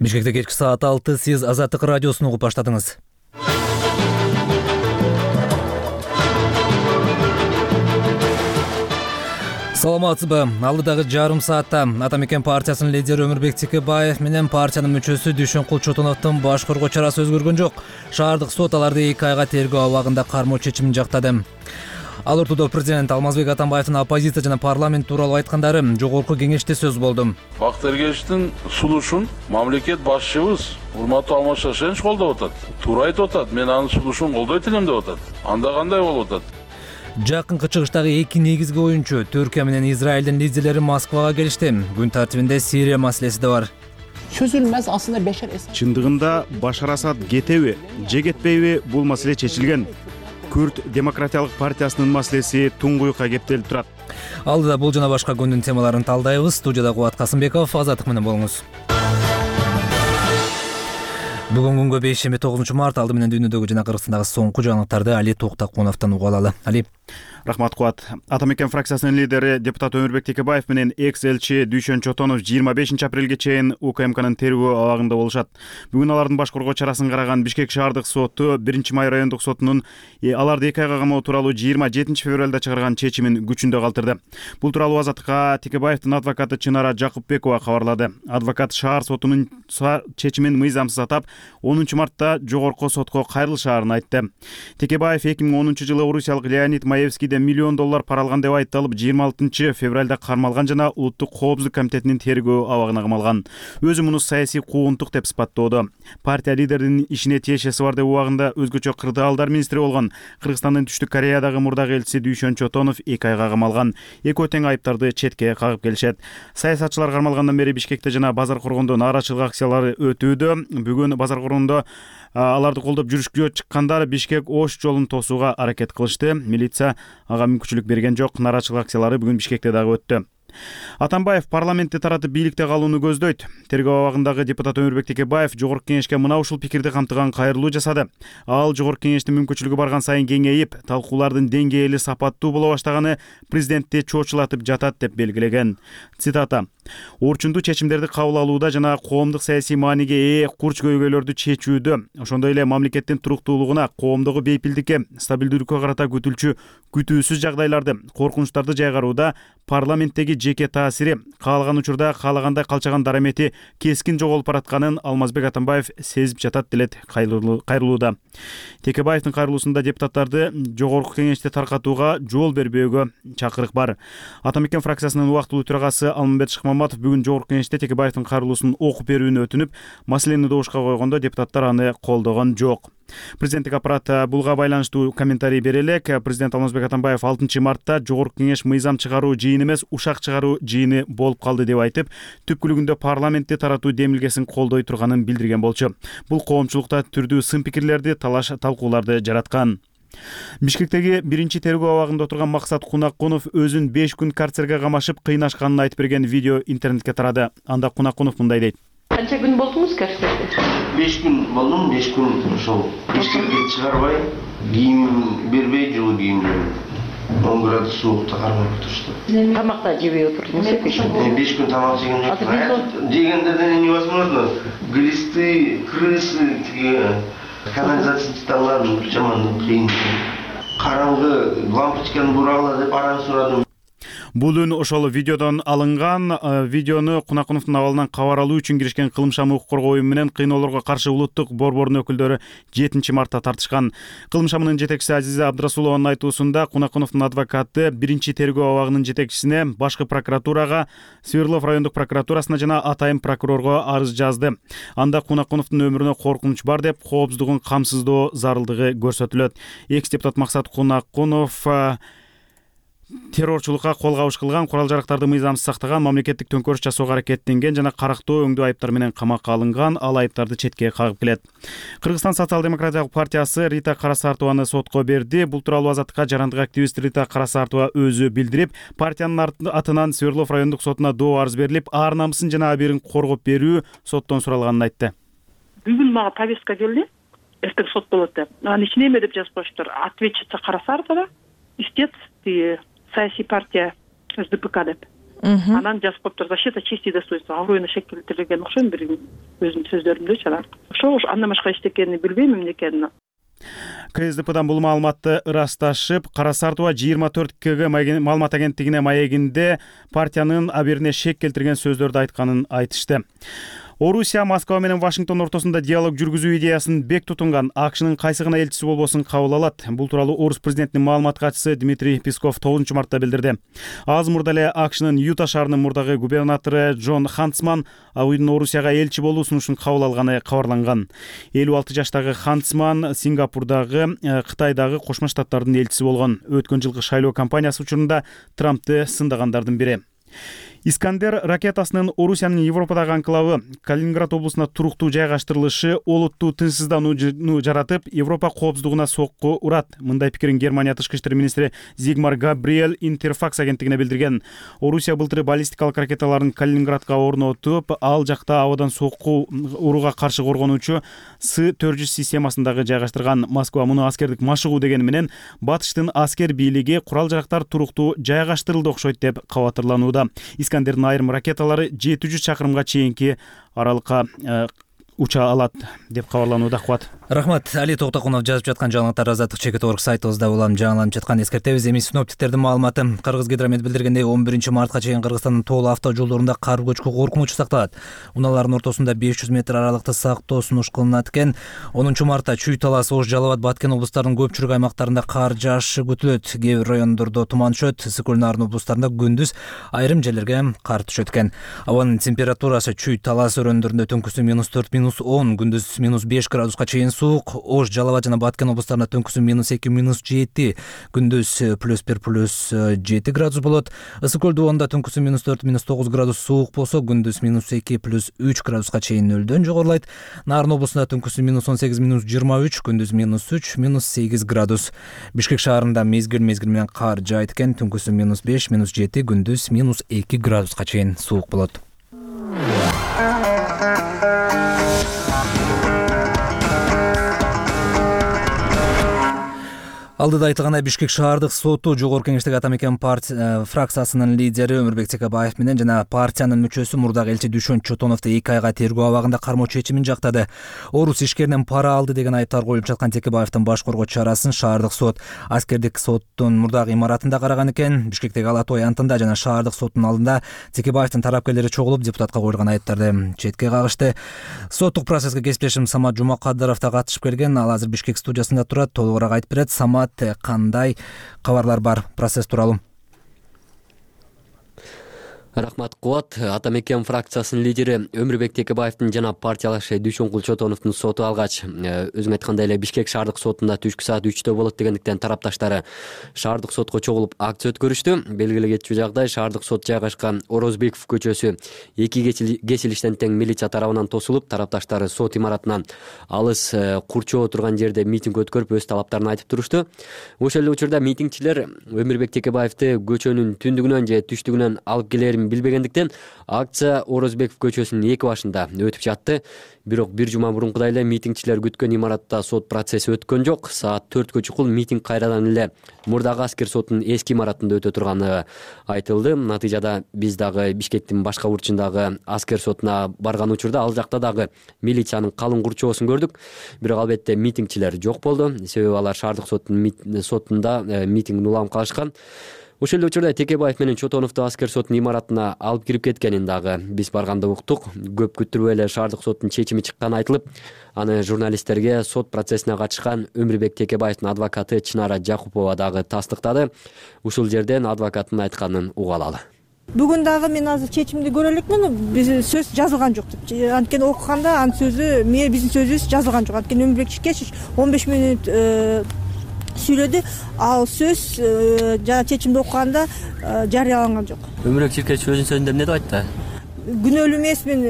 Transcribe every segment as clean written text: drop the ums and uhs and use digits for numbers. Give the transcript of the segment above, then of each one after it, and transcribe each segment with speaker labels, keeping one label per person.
Speaker 1: Бишкекте кечки саат 6 сиз Азаттык радиосун угуп баштадыңыз. Саламатсызбы? Алдыдагы жарым саатта Ата Мекен партиясынын лидери Өмүрбек Текебаев менен партиянын мүчөсү Дүйшөнкул Чотоновдун баш коргоо чарасы өзгөргөн жок. Шаардык сот аларды 2 айга тергөө абагында кармоо чечимин жактады. Ал ортодо президент Алмазбек Атамбаевдин оппозиция жана парламент тууралуу айткандары жогорку кеңеште сөз болду.
Speaker 2: Бактар Эргечтин сунушун мамлекет башчыбыз урматтуу Алмаз Шаршенович колдоп атат. Туура айтып атат. Мен анын сунушун колдойт элем деп атат. Анда кандай болуп атат?
Speaker 1: Жакынкы чыгыштагы эки негизги оюнчу Түркия менен Израилдин лидерлери Москвага келишти. Күн тартибинде Сирия маселеси да бар.
Speaker 3: Çözülmez aslında Beşar Esad.
Speaker 4: Чындыгында Башар Асад кетеби, же кетпейби бул маселе чечилген. Күрд демократиялык партиясынын маселеси туңгуюкка кептелип турат.
Speaker 1: Алдыда бул жана башка күндүн темаларын талдайбыз. Студияда Кубат Касымбеков, Азаттык менен болуңуз. Бүгүн күнгө 5-9 март алды менен дүйнөдөгү жана Кыргызстандагы соңку жаңылыктарды Али Токтакуновдон угуп алалы. Али.
Speaker 4: Рахмат Кубат. Ата Мекен фракциясынын лидери депутат Өмүрбек Текебаев менен экс-элчи Дүйшөн Чотонов 25 апрелге чейин УКМКнын тергөө абагында болушат. Бүгүн алардын баш коргоо чарасын караган Бишкек шаардык соту 1-Май райондук сотунун аларды 2 айга камоо тууралуу 27 февралда чыгарган чечимин күчүндө калтырды. Бул тууралуу Азаттыкка Текебаевдин адвокаты Чынара Жакупбекова кабарлады. Адвокат шаар сотунун чечимин мыйзамсыз атап, 10 мартта жогорку сотко кайрылышаарын айтты. Текебаев 2010 жылы орусиялык Леонид Маевскийден $1 миллион пара алган деп айыпталып, 26 февралда кармалган жана Улуттук коопсуздук комитетинин тергөө абагына камалган. Өзү муну саясий куугунтук деп сыпаттоодо. Партия лидеринин ишине тиешеси бар деп убагында өзгөчө кырдаалдар министри болгон Кыргызстандын Түштүк Кореядагы мурдагы элчиси Дүйшөн Чотонов 2 айга камалган. Экөө тең айыптарды четке кагып келишет. Саясатчылар кармалгандан бери Бишкекте жана Базар Коргондо нааразычылык акциялары өтүүдө. Бүгүн Базар Коргондо аларды колдоп жүрүшкө чыккандар Бишкек Ош жолун тосууга аракет кылышты. Милиция ага мүмкүнчүлүк берген жок. Нааразычылык акциялары бүгүн Бишкекте дагы өттү. Атамбаев парламентте таратып бийликте калууну көздөйт. Тергөө абагындагы депутат Өмүрбек Текебаев жогорку кеңешке мына ушул пикирди камтыган кайрылуу жасады. Ал жогорку кеңештин мүмкүнчүлүгү барган сайын кеңейип, талкуулардын деңгээли сапаттуу боло баштаганы президентти чочулатып жатат деп белгилеген. Цитата: "Орчундуу чечимдерди кабыл алууда жана коомдук саясий мааниге ээ курч көйгөйлөрдү чечүүдө, ошондой эле мамлекеттин туруктуулугуна, коомдогу бейпилдикке, стабилдүүлүккө карата күтүлчү күтүүсүз жагдайларды, коркунучтарды жайгарууда парламенттеги жеке таасири, каалаган учурда каалагандай калчаган дарамети кескин жоголуп баратканын Алмазбек Атамбаев сезип жатат делет кайрылууда. Текебаевдин кайрылуусунда депутаттарды жогорку кеңеште таркатууга жол бербөөгө чакырык бар. Ата Мекен фракциясынын убактылуу төрагасы Алмамбет Шыкмаматов бүгүн жогорку кеңеште Текебаевдин кайрылуусун окуп берүүнү өтүнүп, маселени добушка койгондо депутаттар аны колдогон жок. Президенттик аппарат булга байланыштуу комментарий бере элек. Президент Алмазбек Атамбаев 6 мартта жогорку кеңеш мыйзам чыгаруу жыйыны эмес, ушак чыгаруу жыйыны болуп калды деп айтып, түпкүлүгүндө парламентти таратуу демилгесин колдой турганын билдирген болчу. Бул коомчулукта түрдүү сын пикирлерди, талаш талкууларды жараткан. Бишкектеги 1-чи тергөө абагында отурган Максат Кунакунов өзүн 5 күн карцерге камашып кыйнашканын айтып берген видео интернетке тарады. Анда Кунакунов мындай дейт:
Speaker 5: Канча күн болдуңуз карцерде?
Speaker 6: 5 күн болдум, 5 күн ошол Бишкекке чыгарбай, кийим бербей, жылуу кийим 10 градус суукта кармап отурушту.
Speaker 5: Тамакта жебей отурдуңуз?
Speaker 6: 5 күн тамак жеген жок. Жегендерден невозможно. Глисты, крысы, канализацияны таңладым, жаман кыйын. Караңгы, лампочканы бурагыла деп арам сурадым.
Speaker 4: Бул үн ошол видеодон алынган. Видеону Кунакуновдун абалынан кабар алуу үчүн киришкен Кылымшам укук коргоо уюму менен кыйноолорго каршы улуттук борбордун өкүлдөрү 7 мартта тартышкан. Кылымшамынын жетекчиси Азиза Абдрасулованын айтуусунда Кунакуновдун адвокаты 1-чи тергөө абагынын жетекчисине, башкы прокуратурага, Свердлов райондук прокуратурасына жана атайын прокурорго арыз жазды. Анда Кунакуновдун өмүрүнө коркунуч бар деп, коопсуздугун камсыздоо зарылдыгы көрсөтүлөт. Экс-депутат Максат Кунакунов террорчулукка кол кабыш кылган, курал-жарактарды мыйзамсыз сактаган, мамлекеттик төңкөрүш жасоого аракеттенген жана карактоо өңдүү айыптар менен камакка алынган. Ал айыптарды четке кагып келет. Кыргызстан социал-демократиялык партиясы Рита Карасартованы сотко берди. Бул тууралуу Азаттыкка жарандык активист Рита Карасартова өзү билдирип, партиянын атынан Свердлов райондук сотуна доо арыз берилип, ар намысын жана абийирин коргоп берүү соттон суралганын айтты.
Speaker 7: Бүгүн мага повестка келди. Эртең сот болот деп. Анын ичине эме деп жазып коюштур. Ответчица Карасартова, истец саясий партия СДПК деп. Анан жазып коюптур: защита чести достоинства, аброюна шек келтирилген окшойм бир өзүнүн сөздөрүндө анан. Ошо андан башка эчтекени билбейм эмне экенин.
Speaker 4: КСДПдан бул маалыматты ырасташып, Кара Сартова 24Кг маалымат агенттигине маегинде партиянын аберине шек келтирген сөздөрдү айтканын айтышты. Орусия Москва менен Вашингтон ортосунда диалог жүргүзүү идеясын бек тутунган АКШнын кайсы гана элчиси болбосун кабыл алат. Бул тууралуу Орус президентинин маалымат катчысы Дмитрий Песков 9-мартта билдирди. Аз мурда эле АКШнын Юта шаарынын мурдагы губернатору Джон Хантсман АУйдун Орусияга элчи болуу сунушун кабыл алганы кабарланган. 56 жаштагы Хантсман Сингапурдагы, Кытайдагы Кошмо Штаттардын элчиси болгон. Өткөн жылкы шайлоо кампаниясы учурунда Трампты сындагандардын бири. Искандер ракетасынын Орусиянын Европадагы анклавы Калининград облусуна туруктуу жайгаштырылышы олуттуу тынчсызданууну жаратып, Европа коопсуздугуна сокку урат. Мындай пикирин Германия тышкы иштер министри Зигмар Габриэль Интерфакс агенттигине билдирген. Орусия былтыры баллистикалык ракеталарын Калининградга орнотуп, ал жакта абадан сокку урууга каршы коргонуучу С-400 системасындагы жайгаштырган. Москва муну аскердик машыгуу дегени менен батыштын аскер бийлиги курал-жарактар туруктуу жайгаштырылды окшойт деп кабатырланууда. Искандердин айрым ракеталары 700 чакырымга чейинки аралыкка уча алат деп кабарланууда. Кубат.
Speaker 1: Рахмат. Али Токтокунов жазып жаткан жаңылыктар Азаттык чекит.орг сайтыбызда улам жаңыланып жаткан. Эскертебиз, эми синоптиктердин маалыматы. Кыргызгидромет билдиргендей 11-мартка чейин Кыргызстандын тоолуу автожолдорунда кар көчкү коркунучу сакталат. Унаалардын ортосунда 500 метр аралыкты сактоо сунуш кылынат экен. 10-мартта Чүй, Талас, Ош, Жалал Абад, Баткен облустарынын көпчүлүк аймактарында кар жаашы күтүлөт. Кээ бир райондордо туман түшөт. Ысык Нарын облустарында күндүз айрым жерлерге кар түшөт экен. Абанын температурасы Чүй, Талас өрөөндөрүндө түнкүсүн -4, -10, күндүз -5 градуска чейин суук. Ош, Жалал Абад жана Баткен облустарында түнкүсүн -2, -7, күндүз +1, +7 градус болот. Ысык көл дубоунда түнкүсүн -4, -9 градус суук болсо, күндүз -2, +3 градуска чейин нөлдөн жогорулайт. Нарын облусунда түнкүсүн -18, -23, күндүз -3, -8 градус. Бишкек шаарында мезгил менен кар жаайт экен. Түнкүсүн -5, -7, күндүз -2 градуска чейин суук болот. Алдыда айтылгандай, Бишкек шаардык соту Жогорку Кеңештеги Ата Мекен фракциясынын лидери Өмүрбек Текебаев менен жана партиянын мүчөсү мурдагы элчи Дүйшөн Чотоновду 2 айга тергөө абагында кармоо чечимин жактады. Орус ишкеринен пара алды деген айыптар коюлуп жаткан Текебаевдин баш коргоо чарасын шаардык сот аскердик соттун мурдагы имаратында караган экен. Бишкектеги Ала Той антында жана шаардык соттун алдында Текебаевдин тарапкерлери чогулуп депутатка коюлган айыптарды четке кагышты. Соттук процесске кесиптешим Самат Жумакадыров да катышып келген. Ал азыр Бишкек студиясында турат. Толугураак айтып берет. Самат, кандай кабарлар бар процесс тууралуу?
Speaker 8: Рахмат, Кубат. Ата Мекен фракциясынын лидери Өмүрбек Текебаевдин жана партиялашы Дүйшөнкул Чотоновдун соту алгач, өзүң айткандай эле Бишкек шаардык сотунда түшкү саат 3-тө болот дегендиктен тарапташтары шаардык сотко чогулуп акция өткөрүштү. Белгиле кетчү жагдай, шаардык сот жайгашкан Орозбеков көчөсү 2 кесилиштен тең милиция тарабынан тосулуп, тарапташтары сот имаратынан алыс курчоо турган жерде митинг өткөрүп, өз талаптарын айтып турушту. Ошол эле учурда митингчилер Өмүрбек Текебаевди көчөнүн түндүгүнөн же түштүгүнөн алып келерин билбегендиктен акция Орозбеков көчөсүнүн 2 башында өтүп жатты. Бирок бир жума мурункудай эле митингчилер күткөн имаратта сот процесси өткөн жок. Саат 4кө чукул митинг кайрадан эле мурдагы аскер сотунун эски имаратында өтө турганы айтылды. Натыйжада биз дагы Бишкектин башка бурчундагы аскер сотуна барган учурда ал жакта дагы милициянын калың курчоосун көрдүк. Бирок албетте митингчилер жок болду. Себеби алар шаардык сотунда митингин улам калышкан. Ошол эле учурда Текебаев менен Чотоновду аскер сотунун имаратына алып кирип кеткенин дагы биз барганда уктук. Көп күттүрбөй эле шаардык соттун чечими чыкканы айтылып, аны журналисттерге сот процессине катышкан Өмүрбек Текебаевдин адвокаты Чынара Жакупова дагы тастыктады. Ушул жерден адвокаттын айтканын уга алалы.
Speaker 9: Бүгүн дагы мен азыр чечимди көрө элекмин. Биз сөз жазылган жок деп. Анткени окуганда анын сөзү, биздин сөзүбүз жазылган жок. Анткени Өмүрбек Чиркешевич 15 мүнөт сүйлөдү. Ал сөз жана чечимди окуганда жарыяланган жок.
Speaker 8: Өмүрбек Чиркешевич өзүнүн сөзүндө эмне деп айтты?
Speaker 9: Күнөөлүү эмесмин,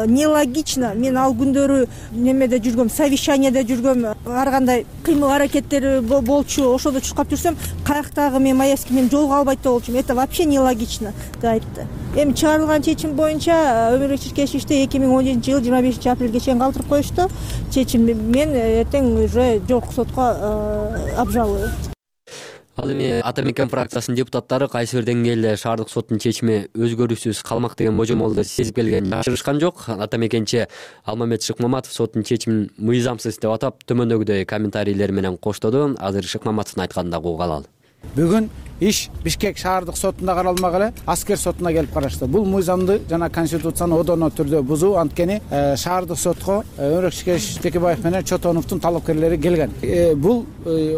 Speaker 9: нелогично. Мен ал күндөрү немеде жүргөм, совещанияда жүргөм, ар кандай кыймыл аракеттери болчу. Ошодо чуркап жүрсөм, каяктагы мен Маевский мен жолго албайт деп болчумун. Это вообще нелогично деп айтты. Эми чыгарылган чечим боюнча Өмүрбек Чиркешевичти 2017-жылы 25-апрелге чейин калтырып коюшту. Чечим мен эртең уже жогорку сотко обжалую.
Speaker 8: Ал эми Ата Мекен фракциясынын депутаттары кайсы бир деңгээлде шаардык соттун чечими өзгөрүүсүз калмак деген божомолду сезип келгенин жашырышкан жок. Ата Мекенчи Алмамет Шыкмаматов соттун чечимин мыйзамсыз деп атап төмөндөгүдөй комментарийлер менен коштоду. Азыр Шыкмаматовдун айтканын дагы угуп алалы.
Speaker 10: Бүгүн иш Бишкек шаардык сотунда каралмак эле аскер сотуна келип карашты. Бул мыйзамды жана конституцияны одоно түрдө бузуу, анткени шаардык сотко Өмүрбек Текебаев менен Чотоновдун талапкерлери келген. Бул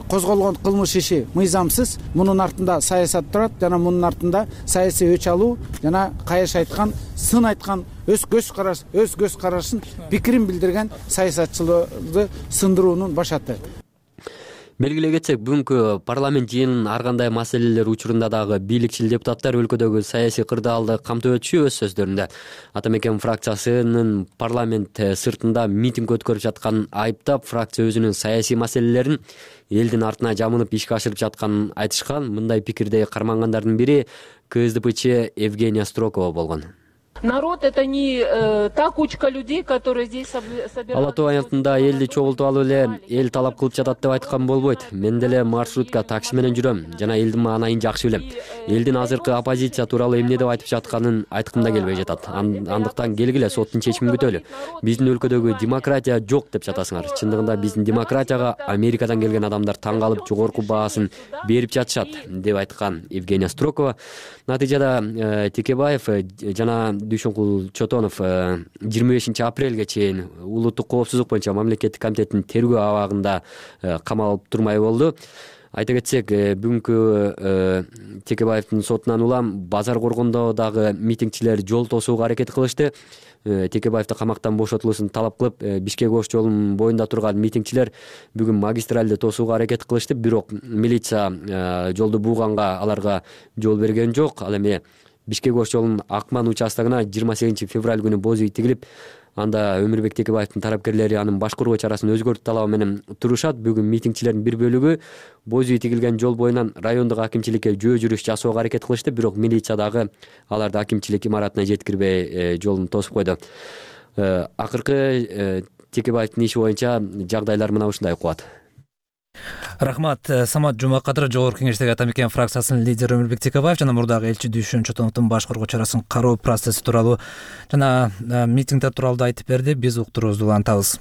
Speaker 10: козголгон кылмыш иши мыйзамсыз. Мунун артында саясат турат жана мунун артында саясий өч алуу жана кайыш айткан, сын айткан, өз көз карашын, пикирин билдирген саясатчыларды сындыруунун башаты.
Speaker 8: Белгилей кетсек, бүгүнкү парламент жыйынынын ар кандай маселелер учурунда дагы бийликчил депутаттар өлкөдөгү саясий кырдаалды камтып өтүшү өз сөздөрүндө. Ата Мекен фракциясынын парламент сыртында митинг өткөрүп жатканын айыптап, фракция өзүнүн саясий маселелерин элдин артына жамынып ишке ашырып жатканын айтышкан. Мындай пикирде кармангандардын бири КСДПчи Евгения Строкова болгон.
Speaker 11: Народ — это не та кучка людей, которые здесь собираются.
Speaker 8: Ала тоо аянтында элди чогултуп алып эле эл талап кылып жатат деп айткан болбойт. Мен деле маршрутка такси менен жүрөм жана элдин маанайын жакшы билем. Элдин азыркы оппозиция тууралуу эмне деп айтып жатканын айткым да келбей жатат. Андыктан келгиле соттун чечимин күтөлү. Биздин өлкөдөгү демократия жок деп жатасыңар. Чындыгында биздин демократияга Америкадан келген адамдар таң калып жогорку баасын берип жатышат деп айткан Евгения Строкова. Натыйжада Текебаев жана Дүйшөнкул Чотонов 25 апрелге чейин улуттук коопсуздук боюнча мамлекеттик комитеттин тергөө абагында камалып турмай болду. Айта кетсек, бүгүнкү Текебаевдин сотунан улам базар коргондо дагы митингчилер жол тосууга аракет кылышты. Текебаевди камактан бошотулуусун талап кылып, Бишкек Ош жолунун боюнда турган митингчилер бүгүн магистралды тосууга аракет кылышты, бирок милиция жолду бууганга аларга жол берген жок. Ал эми Бишкек Ош жолунун Акман участогуна 28 февраль күнү боз үй тигилип, анда Өмүрбек Текебаевдин тарапкерлери анын башкаруу чарасын өзгөртүү талабы менен турушат. Бүгүн митингчилердин бир бөлүгү боз үй тигилген жол боюнан райондук акимчиликке жөө жүрүш жасоого аракет кылышты, бирок милиция дагы аларды акимчилик имаратына жеткирбей жолун тосуп койду. Акыркы Текебаевдин иши боюнча жагдайлар мына ушундай кубат.
Speaker 1: Рахмат. Самат Жумакадыр жогорку кеңештеги Ата Мекен фракциясынын лидери Өмүрбек Текебаев жана мурдагы элчи Дүйшөн Чотоновдун башкаруу чарасын кароо процесси тууралуу жана митингдер тууралуу да айтып берди. Биз уктуруубузду улантабыз.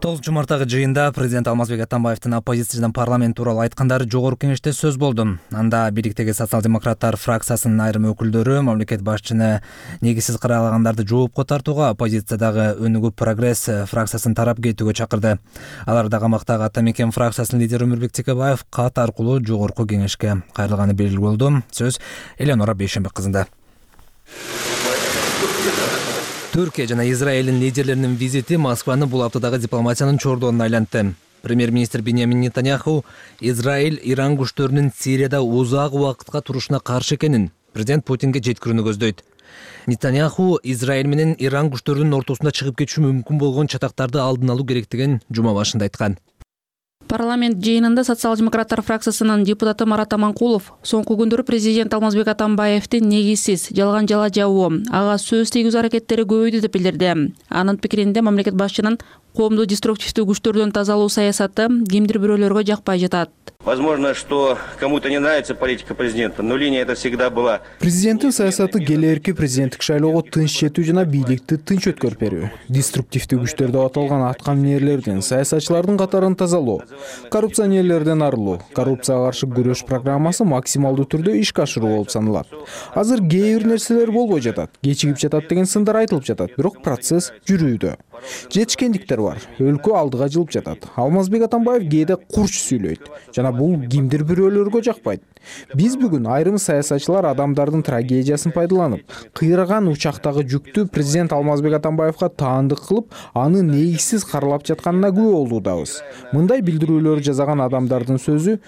Speaker 1: 9 марттагы жыйында президент Алмазбек Атамбаевдин оппозиция жана парламент тууралуу айткандары жогорку кеңеште сөз болду. Анда бийликтеги социал-демократтар фракциясынын айрым өкүлдөрү мамлекет башчыны негизсиз каралагандарды жоопко тартууга, оппозициядагы Өнүгүү Прогресс фракциясын тарап кетүүгө чакырды. Аларда камактагы Ата Мекен фракциясынын лидери Өмүрбек Текебаев кат аркылуу жогорку кеңешке кайрылганы белгилүү болду. Сөз Эленора Бейшенбек кызында. Түркия жана Израилдин лидерлеринин визити Москваны бул аптадагы дипломатиянын чордонуна айлантты. Премьер-министр Биньямин Нетаньяху Израиль Иран күчтөрүнүн Сирияда узак убакытка турушуна каршы экенин президент Путинге жеткирүүнү көздөйт. Нетаньяху Израиль менен Иран күчтөрүнүн ортосунда чыгып кетиши мүмкүн болгон чатактарды алдын алуу керектигин жума башында айткан.
Speaker 12: Парламент жыйынында социал-демократтар фракциясынын депутаты Марат Аманкулов соңку күндөрү президент Алмазбек Атамбаевдин негизсиз жалган жала жабуу, ага сөз тийгизүү аракеттери көбөйдү деп билдирди. Анын пикиринде мамлекет башчынын коомду деструктивдүү күчтөрдөн тазалоо саясаты кимдир бирөөлөргө жакпай жатат.
Speaker 6: Возможно, что кому-то не нравится политика президента, но линия это всегда была.
Speaker 13: Президенттин саясаты келээрки президенттик шайлоого тынч жетүү жана бийликти тынч өткөрүп берүү. Деструктивдүү күчтөр деп аталган аткаминерлердин, саясатчылардын катарын тазалоо, коррупционерлерден арылуу, коррупцияга каршы күрөш программасы максималдуу түрдө ишке ашыруу болуп саналат. Азыр кээ бир нерселер болбой жатат, кечигип жатат деген сындар айтылып жатат, бирок процесс жүрүүдө. Жетишкендиктер бар, өлкө алдыга жылып жатат. Алмазбек Атамбаев кээде курч сүйлөйт жана бул кимдир бирөөлөргө жакпайт. Биз бүгүн айрым саясатчылар адамдардын трагедиясын пайдаланып, кыйраган учактагы жүктү президент Алмазбек Атамбаевга таандык кылып, аны негизсиз каралап жатканына күбө болуудабыз. Мындай билдирүүлөр жасаган адамдардын сөзү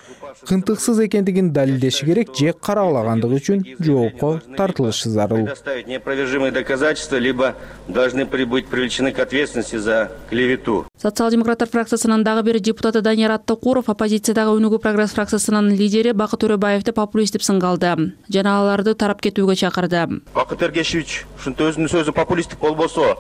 Speaker 13: кынтыксыз экендигин далилдеши керек же каралагандыгы үчүн жоопко тартылышы зарыл.
Speaker 6: Предоставить неопровержимые доказательства, либо должны быть привлечены к ответственности за клевету.
Speaker 12: Социал-демократтар фракциясынын дагы бир депутаты Данияр Аттакуров, оппозициядагы Өнүгүү Прогресс фракциясынын лидери Бакыт Төрөбаевди популист деп сынгалды жана аларды тарап кетүүгө чакырды.
Speaker 14: Бакыт Эргешевич ушинтип өзүнүн сөзү популисттик болбосо,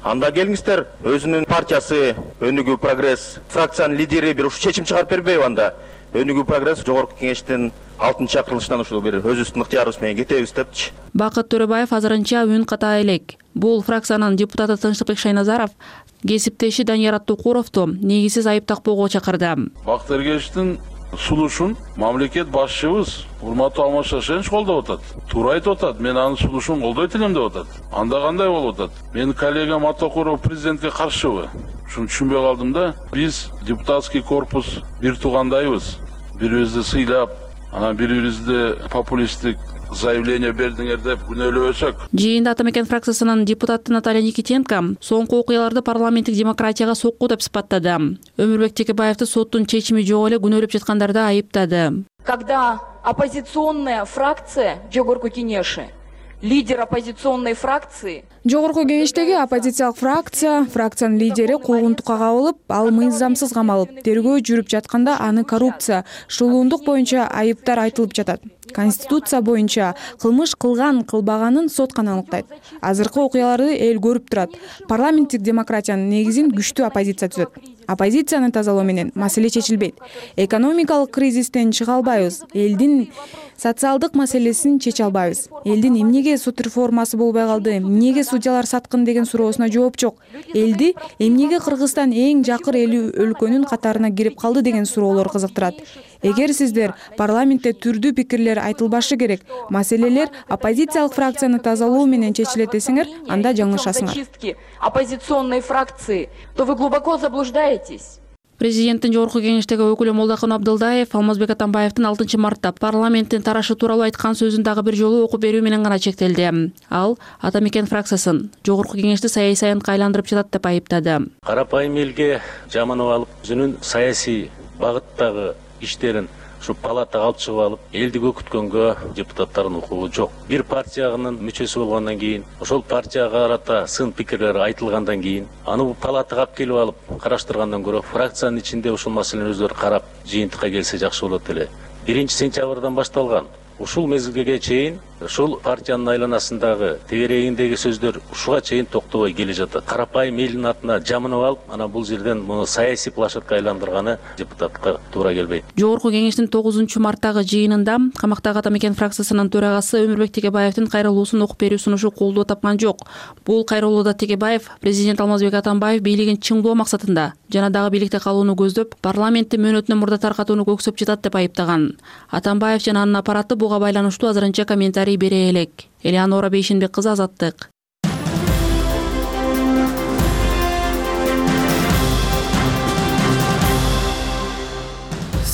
Speaker 14: анда келиңиздер, өзүнүн партиясы Өнүгүү Прогресс фракциянын лидери бир ушу чечим чыгарып бербейби анда? Өнүгүү Прогресс жогорку кеңештин 6-чакырылышынан ушул бир өзүбүздүн ыктыярыбыз менен кетебиз депчи.
Speaker 12: Бакыт Төрөбаев азырынча үн ката элек. Бул фракциянын депутаты Тынчтыкбек Шайназаров кесиптеши Данияр Аттукуровду негизсиз айып такпоого чакырды.
Speaker 2: Бакыт Эргешевдин сулушун мамлекет башчыбыз урматтуу Алмаз Шашенович колдоп атат. Туура айтып атат. Мен анын сулушун колдойт элем деп атат. Анда кандай болуп атат? Менин коллегам Аттукуров президентке каршыбы? Ушуну түшүнбөй калдым да. Биз депутатский корпус бир туугандайбыз. Бирибизди сыйлап, анан бири-бирибизди популисттик заявление бердиңер деп күнөөлөбөсөк.
Speaker 12: Жыйында Атамекен фракциясынын депутаты Наталья Никитенко соңку окуяларды парламенттик демократияга сокку деп сыпаттады. Өмүрбек Текебаевди соттун чечими жок эле күнөөлөп жаткандарды айыптады.
Speaker 11: Когда оппозиционная фракция жогорку кеңеши, лидер оппозиционной фракции
Speaker 15: Жогорку кеңештеги оппозициялык фракциянын лидери куугунтукка кабылып, ал мыйзамсыз камалып, тергөө жүрүп жатканда аны коррупция, шылуундук боюнча айыптар айтылып жатат. Конституция боюнча кылмыш кылган, кылбаганын сот гана аныктайт. Азыркы окуяларды эл көрүп турат. Парламенттик демократиянын негизин күчтүү оппозиция түзөт. Оппозицияны тазалоо менен маселе чечилбейт. Экономикалык кризистен чыга албайбыз. Элдин социалдык маселесин чече албайбыз. Элдин эмнеге сот реформасы болбой калды, эмнеге судьялар саткын деген суроосуна жооп жок. Элди эмнеге Кыргызстан эң жакыр өлкөнүн катарына кирип калды деген суроолор кызыктырат. Эгер сиздер парламентте түрдүү пикирлер айтылбашы керек, маселелер оппозициялык фракцияны тазалоо менен чечилет десеңер, анда жаңылышасыңар.
Speaker 11: Оппозиционной фракции, то вы глубоко заблуждаетесь.
Speaker 12: Президенттин жогорку кеңештеги өкүлү Молдокун Абдылдаев Алмазбек Атамбаевдин 6-мартта парламенттин тарашы тууралуу айткан сөзүн дагы бир жолу окуп берүү менен гана чектелди. Ал Атамекен фракциясын жогорку кеңешти саясий аянтка айландырып жатат деп айыптады.
Speaker 16: Карапайым элге жаманып алып, өзүнүн саясий багыттагы иштерин ушу палатага алып чыгып алып, элди көкүткөнгө депутаттардын укугу жок. Бир партиянын мүчөсү болгондон кийин, ошол партияга карата сын пикирлер айтылгандан кийин, аны бул палатага алып келип алып караштыргандан көрө, фракциянын ичинде ушул маселени өздөрү карап, жыйынтыкка келсе жакшы болот эле. 1-сентябрдан башталган ушул мезгилге чейин ушул партиянын айланасындагы тегерегиндеги сөздөр ушуга чейин токтобой келе жатат. Карапайым элдин атына жамынып алып, ана бул жерден муну саясий площадка айландырганы депутатка туура келбейт.
Speaker 12: Жогорку кеңештин 9-марттагы жыйынында камактагы Атамекен фракциясынын төрагасы Өмүрбек Текебаевдин кайрылуусун окуп берүү сунушу колдоо тапкан жок. Бул кайрылууда Текебаев президент Алмазбек Атамбаев бийлигин чыңдоо максатында жана дагы бийликте калууну көздөп, парламентти мөөнөтүнөн мурда таркатууну көксөп жатат деп айыптаган. Атамбаев жана анын аппараты буга байланыштуу азырынча комментарий бере элек. Элеонора Бейшенбек кызы, Азаттык.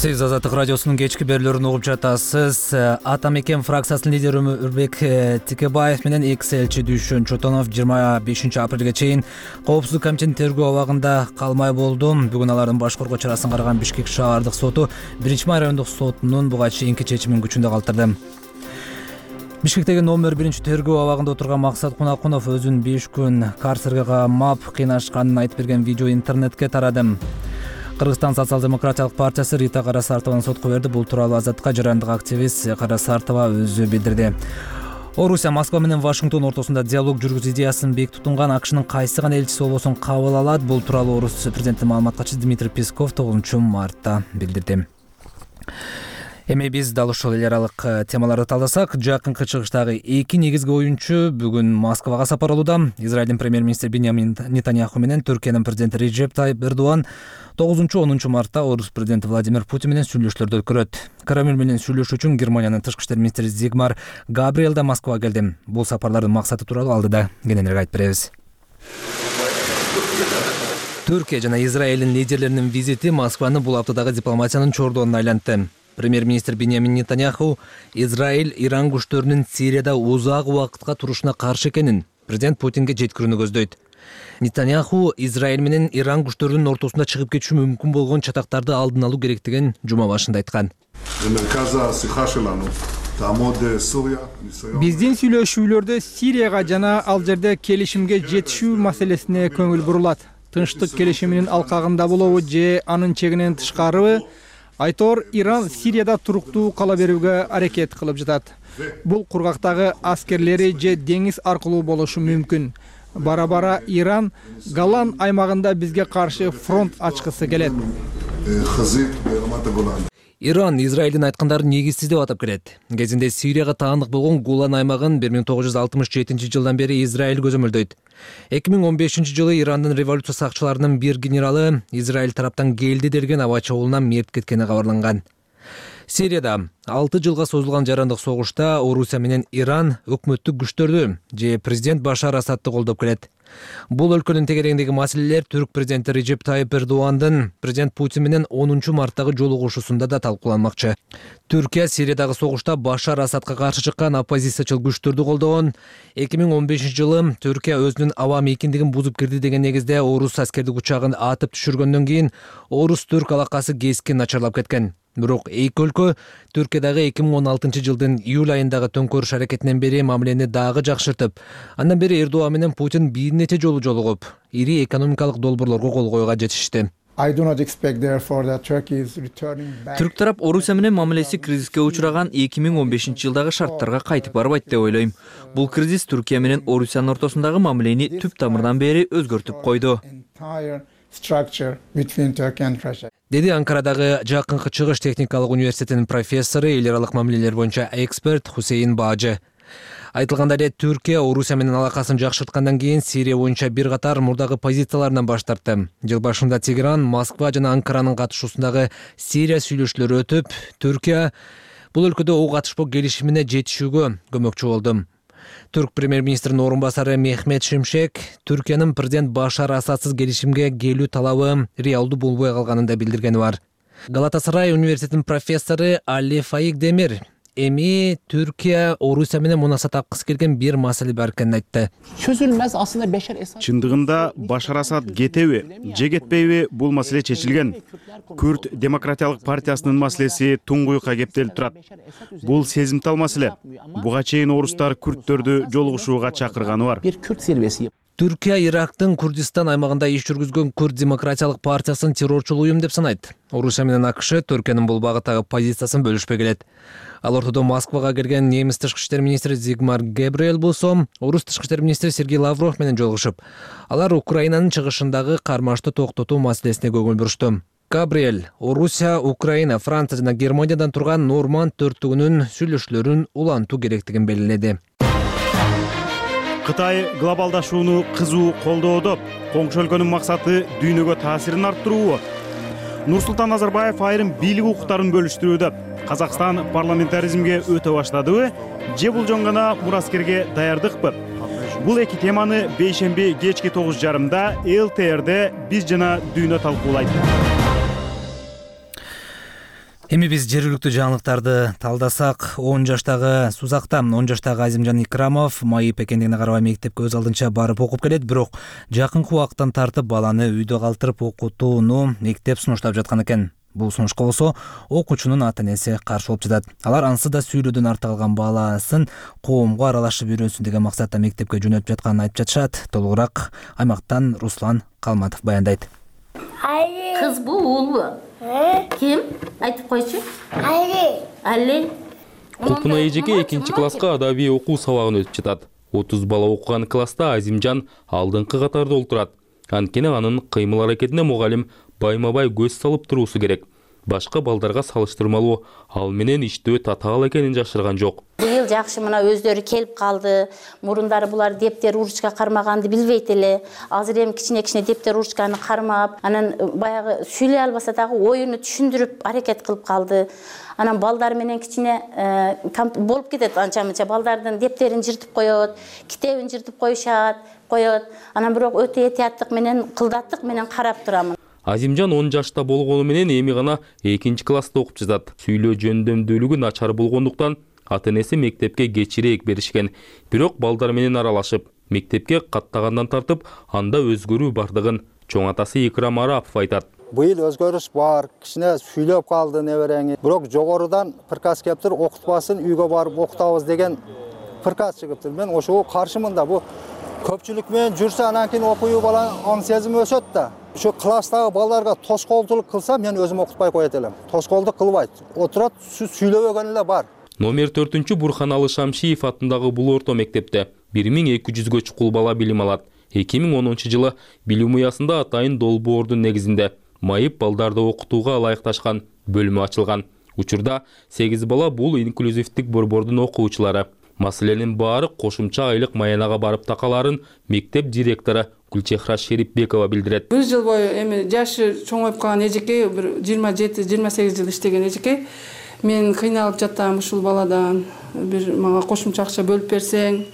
Speaker 1: Сиз Азаттык радиосунун кечки берүүлөрүн угуп жатасыз. Атамекен фракциясынын лидери Өмүрбек Текебаев менен экс-элчи Дүйшөн Чотонов 25-апрелге чейин Коопсуздук комитетинин тергөө абагында калмай болду. Бүгүн алардын башкаруу чарасын караган Бишкек шаардык соту 1 райондук сотунун буга чейинки чечимин күчүндө калтырды. Бишкектеги номер 1 тергөө абагында отурган Максат Кунакунов өзүн 5 күн карцерге камап кыйнашканын айтып берген видео интернетке тарады. Кыргызстан социал-демократиялык партиясы Рита Карасартованы сотко берди. Бул тууралуу Азаттыкка жарандык активист Карасартова өзү билдирди. Орусия Москва менен Вашингтон ортосунда диалог жүргүзүү идеясын бек тутунган АКШнын кайсы гана элчиси болбосун кабыл алат. Бул тууралуу Орус президентинин маалымат катчысы Дмитрий Песков 9-мартта билдирди. Эми биз дал ушул эл аралык темаларды талдасак, жакынкы чыгыштагы эки негизги оюнчу бүгүн Москвага сапар алууда. Израилдин премьер-министри Биньямин Нетаньяху менен Түркиянын президенти Реджеп Тайип Эрдоган 9-10 мартта Орус президенти Владимир Путин менен сүйлөшүүлөрдү өткөрөт. Кремль менен сүйлөшүү үчүн Германиянын тышкы иштер министри Зигмар Габриэл да Москвага келди. Бул сапарлардын максаты тууралуу алдыда кененирээк айтып беребиз. Түркия жана Израилдин лидерлеринин визити Москваны бул аптадагы дипломатиянын чордонуна айлантты. Премьер-министр Биньямин Нетаньяху Израиль Иран күчтөрүнүн Сирияда узак убакытка турушуна каршы экенин президент Путинге жеткирүүнү көздөйт. Нетаньяху Израиль менен Иран күчтөрүнүн ортосунда чыгып кетиши мүмкүн болгон чатактарды алдын алуу керектигин жума башында айткан.
Speaker 17: Биздин сүйлөшүүлөрдө Сирияга жана ал жерде келишимге жетишүү маселесине көңүл бурулат. Тынчтык келишиминин алкагында болобу же анын чегинен тышкарыбы? Айтор Иран Сирияда туруктуу кала берүүгө аракет кылып жатат. Бул кургактагы аскерлери же деңиз аркылуу болушу мүмкүн. Бара-бара Иран Голлан аймагында бизге каршы фронт ачкысы келет.
Speaker 1: Иран Израилдин айткандарын негизсиз деп атап келет. Кезинде Сирияга таандык болгон Голлан аймагын 1967 жылдан бери Израиль көзөмөлдөйт. 2015 жылы Ирандын революция сакчыларынын бир генералы Израиль тараптан келди делген аба чабуулунан мерт кеткени кабарланган. Сирияда 6 жылга созулган жарандык согушта Орусия менен Иран өкмөттүк күчтөрдү же президент Башар Асадты колдоп келет. Бул өлкөнүн тегерегиндеги маселелер түрк президенти Режеп Тайып Эрдогандын президент Путин менен 10 марттагы жолугушуусунда да талкууланмакчы. Түркия Сириядагы согушта Башар Асадка каршы чыккан оппозициячыл күчтөрдү колдогон. 2015 жылы Түркия өзүнүн аба мейкиндигин бузуп кирди деген негизде орус аскердик учагын атып түшүргөндөн кийин орус-түрк алакасы кескин начарлап кеткен. Бирок эки өлкө Түркиядагы 2016 жылдын июль айындагы төңкөрүш аракетинен бери мамилени дагы жакшыртып, андан бери Эрдоган менен Путин бир нече жолу жолугуп, ири экономикалык долбоорлорго кол коюуга жетишти.
Speaker 18: Түрк тарап Орусия менен мамилеси кризиске учураган 2015 жылдагы шарттарга кайтып барбайт деп ойлойм. Бул кризис Түркия менен Орусиянын ортосундагы мамилени түп тамырдан бери өзгөртүп койду.
Speaker 1: Деди Анкарадагы Жакынкы Чыгыш техникалык университетинин профессору, эл аралык мамилелер боюнча эксперт Хусейин Бажы. Айтылгандай эле Түркия Орусия менен алакасын жакшырткандан кийин Сирия боюнча бир катар мурдагы позицияларынан баш тартты. Жыл башында Тегеран, Москва жана Анкаранын катышуусундагы Сирия сүйлөшүүлөрү өтүп, Түркия бул өлкөдө ок атышпоо келишимине жетишүүгө көмөкчү болду. Түрк премьер-министринин орун басары Мехмет Шимшек Түркиянын президент Башар Асадсыз келишимге келүү талабы реалдуу болбой калганын да билдиргени бар. Галатасарай университетинин профессору Али Фаик Демир эми Түркия Орусия менен мунаса тапкысы келген бир маселе бар экенин айтты.
Speaker 3: Çözülmez aslında Beşar Esad.
Speaker 4: Чындыгында Башар Асад кетеби же кетпейби бул маселе чечилген. Күрд демократиялык партиясынын маселеси туңгуюкка кептелип турат. Бул сезимтал маселе. Буга чейин орустар күрдтөрдү жолугушууга чакырганы бар.
Speaker 3: Bir Kürt zirvesi.
Speaker 1: Түркия Ирактын Курдистан аймагында иш жүргүзгөн Күрд демократиялык партиясын террорчул уюм деп санайт. Орусия менен АКШ Түркиянын бул багыттагы позициясын бөлүшпөй келет. Ал ортодо Москвага келген немис тышкы иштер министри Зигмар Гебриэл болсо, орус тышкы иштер министри Сергей Лавров менен жолугушуп, алар Украинанын чыгышындагы кармашты токтотуу маселесине көңүл бурушту. Габриэль Орусия, Украина, Франция жана Германиядан турган Норманд төрттүгүнүн сүйлөшүүлөрүн улантуу керектигин белгиледи.
Speaker 4: Кытай глобалдашууну кызуу колдоодо. Коңшу өлкөнүн максаты дүйнөгө таасирин арттыруу. Нурсултан Назарбаев айрым бийлик укуктарын бөлүштүрүүдө. Казакстан парламентаризмге өтө баштадыбы же бул жөн гана мураскерге даярдыкпы? Бул эки теманы бейшемби кечки 9:30 ЛТРде биз жана дүйнө талкуулайт.
Speaker 1: Эми биз жергиликтүү жаңылыктарды талдасак, 10 жаштагы Сузакта 10 жаштагы Азимжан Икрамов майып экендигине карабай мектепке өз алдынча барып окуп келет, бирок жакынкы убакыттан тартып баланы үйдө калтырып окутууну мектеп сунуштап жаткан экен. Бул сунушка болсо окуучунун ата-энеси каршы болуп жатат. Алар ансыз да сүйлөөдөн артта калган баласын коомго аралашып үйрөнсүн деген максатта мектепке жөнөтүп жатканын айтып жатышат. Толугураак аймактан Руслан Калматов баяндайт.
Speaker 19: Кыз бу, уул бу? Ким? Айтып койчу. Али.
Speaker 20: Кулпуна эжеке 2-класска адабий окуу сабагын өтүп жатат. 30 бала окуган класста Азимжан алдыңкы катарда олтурат. Анткени анын кыймыл аракетине мугалим байма-бай көз салып туруусу керек. Башка балдарга салыштырмалуу ал менен иштөө татаал экенин жашырган жок.
Speaker 19: Быйыл жакшы мына өздөрү келип калды. Мурундары булар дептер ручка кармаганды билбейт эле. Азыр эми кичине дептер ручканы кармап, анан баягы сүйлөй албаса дагы оюну түшүндүрүп аракет кылып калды. Анан балдар менен кичине болуп кетет, анча-мынча балдардын дептерин жыртып коёт, китебин жыртып коёт. Анан бирок өтө этияттык менен, кылдаттык менен карап турамын.
Speaker 20: Азимжан 10 жашта болгону менен эми гана 2-класста окуп жатат. Сүйлөө жөндөмдүүлүгү начар болгондуктан ата-энеси мектепке кечирээк беришкен. Бирок балдар менен аралашып, мектепке каттагандан тартып, анда өзгөрүү бардыгын чоң атасы Икрам Арапов айтат.
Speaker 21: Быйыл өзгөрүш бар, кичине сүйлөп калды неберең. Бирок жогорудан приказ келиптир, окутпасын, үйгө барып окутабыз деген приказ чыгыптыр. Мен ошого каршымын да. Бу көпчүлүк менен жүрсө анан кийин окууу бала аң сезими өсөт да. Ушу класстагы балдарга тоскоолдулук кылса, мен өзүм окутпай коет элем. Тоскоолдук кылбайт. Отурат, сүйлөбөгөн эле бар.
Speaker 20: Номер 4 Бурханалы Шамшиев атындагы бул орто мектепте 1200 чукул бала билим алат. 2010 жылы билим уясында атайын долбоордун негизинде майып балдарды окутууга ылайыкташкан бөлүмү ачылган. Учурда 8 бала бул инклюзивдик борбордун окуучулары. Маселенин баары кошумча айлык маянага барып такаларын мектеп директору Гүлчехра Шерипбекова билдирет.
Speaker 5: Бир жыл бою эми жашы чоңоюп калган эжекей, бир 27-28 жыл иштеген эжекей. Мен кыйналып жатам ушул баладан. Бир мага кошумча акча бөлүп берсең,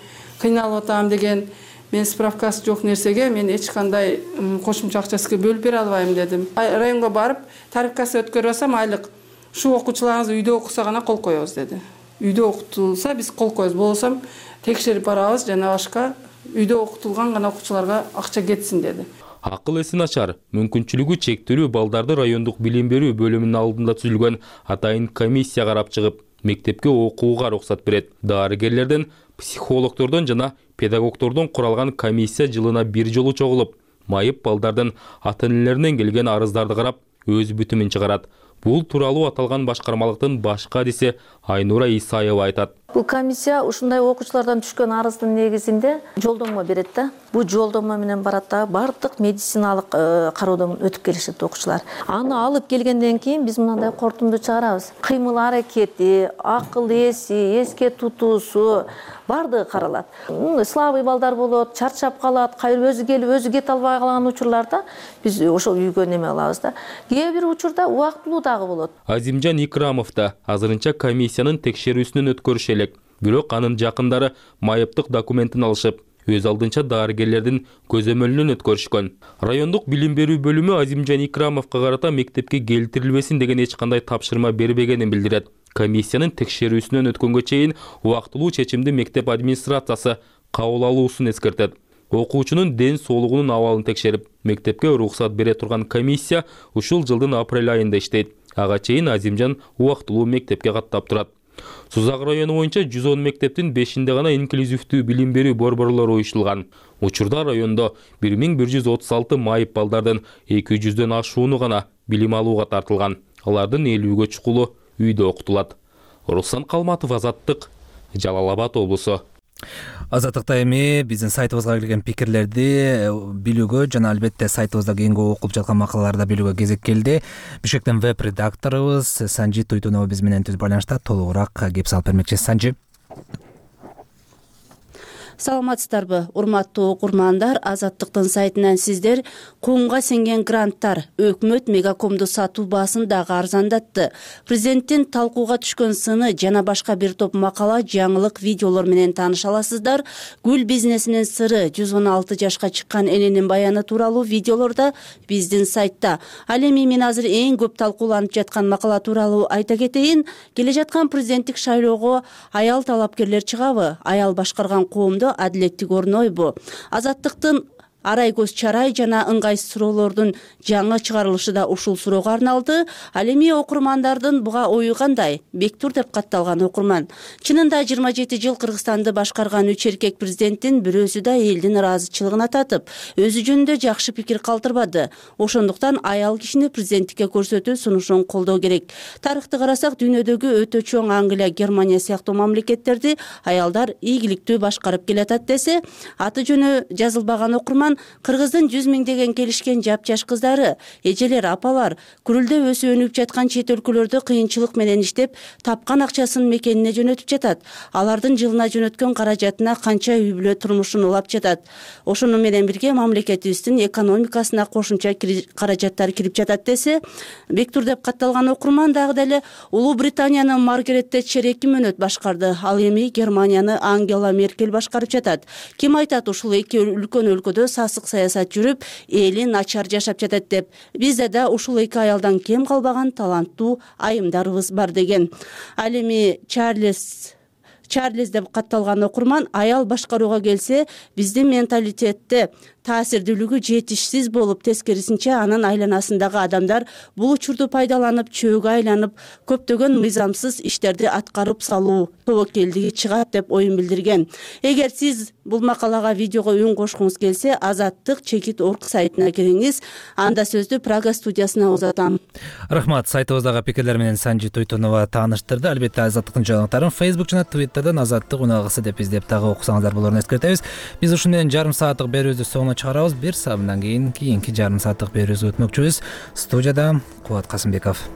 Speaker 5: кыйналып атам деген. Мен справкасы жок нерсеге мен эч кандай кошумча акчасы бөлүп бере албайм дедим. Районго барып, тарифкасы өткөрүп алсам айлык шу окуучуларыңыз үйдө окуса гана кол коебуз деди. Үйдө окутулса биз кол коебуз, болсом текшерип барабыз жана башка үйдө окутулган гана окуучуларга акча кетсин деди.
Speaker 20: Акыл эси начар, мүмкүнчүлүгү чектелүү балдарды райондук билим берүү бөлүмүнүн алдында түзүлгөн атайын комиссия карап чыгып, мектепке окууга уруксат берет. Дарыгерлерден, психологдордон жана педагогдордон куралган комиссия жылына бир жолу чогулуп, майып балдардын ата-энелеринен келген арыздарды карап, өз бүтүмүн чыгарат. Бул тууралуу аталган башкармалыктын башкы адиси Айнура Исаева айтат.
Speaker 22: Бул комиссия ушундай окуучулардан түшкөн арыздын негизинде жолдомо берет да. Бул жолдомо менен барат да бардык медициналык кароодон өтүп келишет окуучулар. Аны алып келгенден кийин биз мындай кортунду чыгарабыз. Кыймыл аракети, акыл эси, эске тутуусу бардыгы каралат. Слабый балдар болот, чарчап калат, өзү келип өзү кете албай калган учурларда биз ошол үйгө неме алабыз да. Кээ бир учурда убактылуу дагы болот.
Speaker 20: Азимжан Икрамов да азырынча комиссиянын текшерүүсүнөн өткөрүшө элек. Бирок анын жакындары майыптык документин алышып, өз алдынча дарыгерлердин көзөмөлүнөн өткөрүшкөн. Райондук билим берүү бөлүмү Азимжан Икрамовго карата мектепке келтирилбесин деген эч кандай тапшырма бербегенин билдирет. Комиссиянын текшерүүсүнөн өткөнгө чейин убактылуу чечимди мектеп администрациясы кабыл алуусун эскертет. Окуучунун ден соолугунун абалын текшерип, мектепке уруксат бере турган комиссия ушул жылдын апрель айында иштейт. Ага чейин Азимжан убактылуу мектепке каттап турат. Сузак району боюнча 110 мектептин 5-inde гана инклюзивдүү билим берүү борборлору уюштулган. Учурда райондо 1136 майып балдардын 200дөн ашууну гана билим алууга тартылган. Алардын 50гө чукулу үйдө окутулат. Руслан Калматов, Азаттык, Жалал Абад облусу.
Speaker 1: Азаттыкта эми биздин сайтыбызга келген пикирлерди билүүгө жана албетте сайтыбызда кийинки окулуп жаткан макалаларды билүүгө кезек келди. Бишкектен веб-редакторубуз Санжи Туйтунова биз менен түз байланышта толугураак кеп салып бермекчи. Санжи.
Speaker 23: Саламатсыздарбы, урматтуу окурмандар, Азаттыктын сайтынан сиздер коомго сеңген гранттар өкмөт мегакомду сатуу баасын дагы арзандатты. Президенттин талкууга түшкөн сыны жана башка бир топ макала, жаңылык, видеолор менен тааныша аласыздар. Гүл бизнесинин сыры 116 жашка чыккан эненин баяны тууралуу видеолорда биздин сайтта. Ал эми мен азыр эң көп талкууланып жаткан макала тууралуу айта кетейин. Келе жаткан президенттик шайлоого аял талапкерлер чыгабы? Аял башкарган коомдо адилеттик орнойбу? Азаттыктын арай көз чарай жана ыңгайсыз суроолордун жаңы чыгарылышы да ушул суроого арналды. Ал эми окурмандардын буга ою кандай? Бектур деп катталган окурман. Чынында 27 жыл Кыргызстанды башкарган үч эркек президенттин бирөөсү да элдин ыраазычылыгын ататып, өзү жөнүндө жакшы пикир калтырбады. Ошондуктан аял кишини президенттикке көрсөтүү сунушун колдоо керек. Тарыхты карасак, дүйнөдөгү өтө чоң Англия, Германия сыяктуу мамлекеттерди аялдар ийгиликтүү башкарып келатат десе, аты жөнү жазылбаган окурман Кыргыздын 100 миңдеген келишкен жапжаш кыздары, эжелер, апалар күрүлдө өсүп өнүгүп жаткан чет өлкөлөрдө кыйынчылык менен иштеп, тапкан акчасын мекенине жөнөтүп жатат. Алардын жылына жөнөткөн каражатына канча үй бүлө турмушун улап жатат. Ошону менен бирге мамлекетибиздин экономикасына кошумча каражаттар кирип жатат десе, Бектур деп катталган окурман дагы деле Улуу Британиянын Маргарет Тэтчер 2 мөөнөт башкарды, ал эми Германияны Ангела Меркель башкарып жатат. Ким айтат ушул эки үлкөн өлкөдө сасык саясат жүрүп, эли начар жашап жатат деп. Бизде да ушул эки аялдан кем калбаган таланттуу айымдарыбыз бар деген. Ал эми Чарльз деп катталган окурман аял башкарууга келсе, биздин менталитетте таасирдүүлүгү жетишсиз болуп, тескерисинче анын айланасындагы адамдар бул учурду пайдаланып чөөгө айланып көптөгөн мыйзамсыз иштерди аткарып салуу тобокелдиги чыгат деп оюн билдирген. Эгер сиз бул макалага видеого үн кошкуңуз келсе, Азаттык чекит орг сайтына кириңиз. Анда сөздү Прага студиясына узатам.
Speaker 1: Рахмат. Сайтыбыздагы пикирлер менен Санжи Тойтонова тааныштырды. Албетте Азаттыктын жаңылыктарын Facebook жана Twitter'дан Азаттык уналгысы деп издеп дагы окусаңыздар болоорун эскертебиз. Биз ушун менен жарым сааттык берүүбүздү соңуна чыгарабыз. Бир саатынан кийин кийинки жарым сааттык берүүбүзгө өтмөкчүбүз. Студияда Кубат Касымбеков.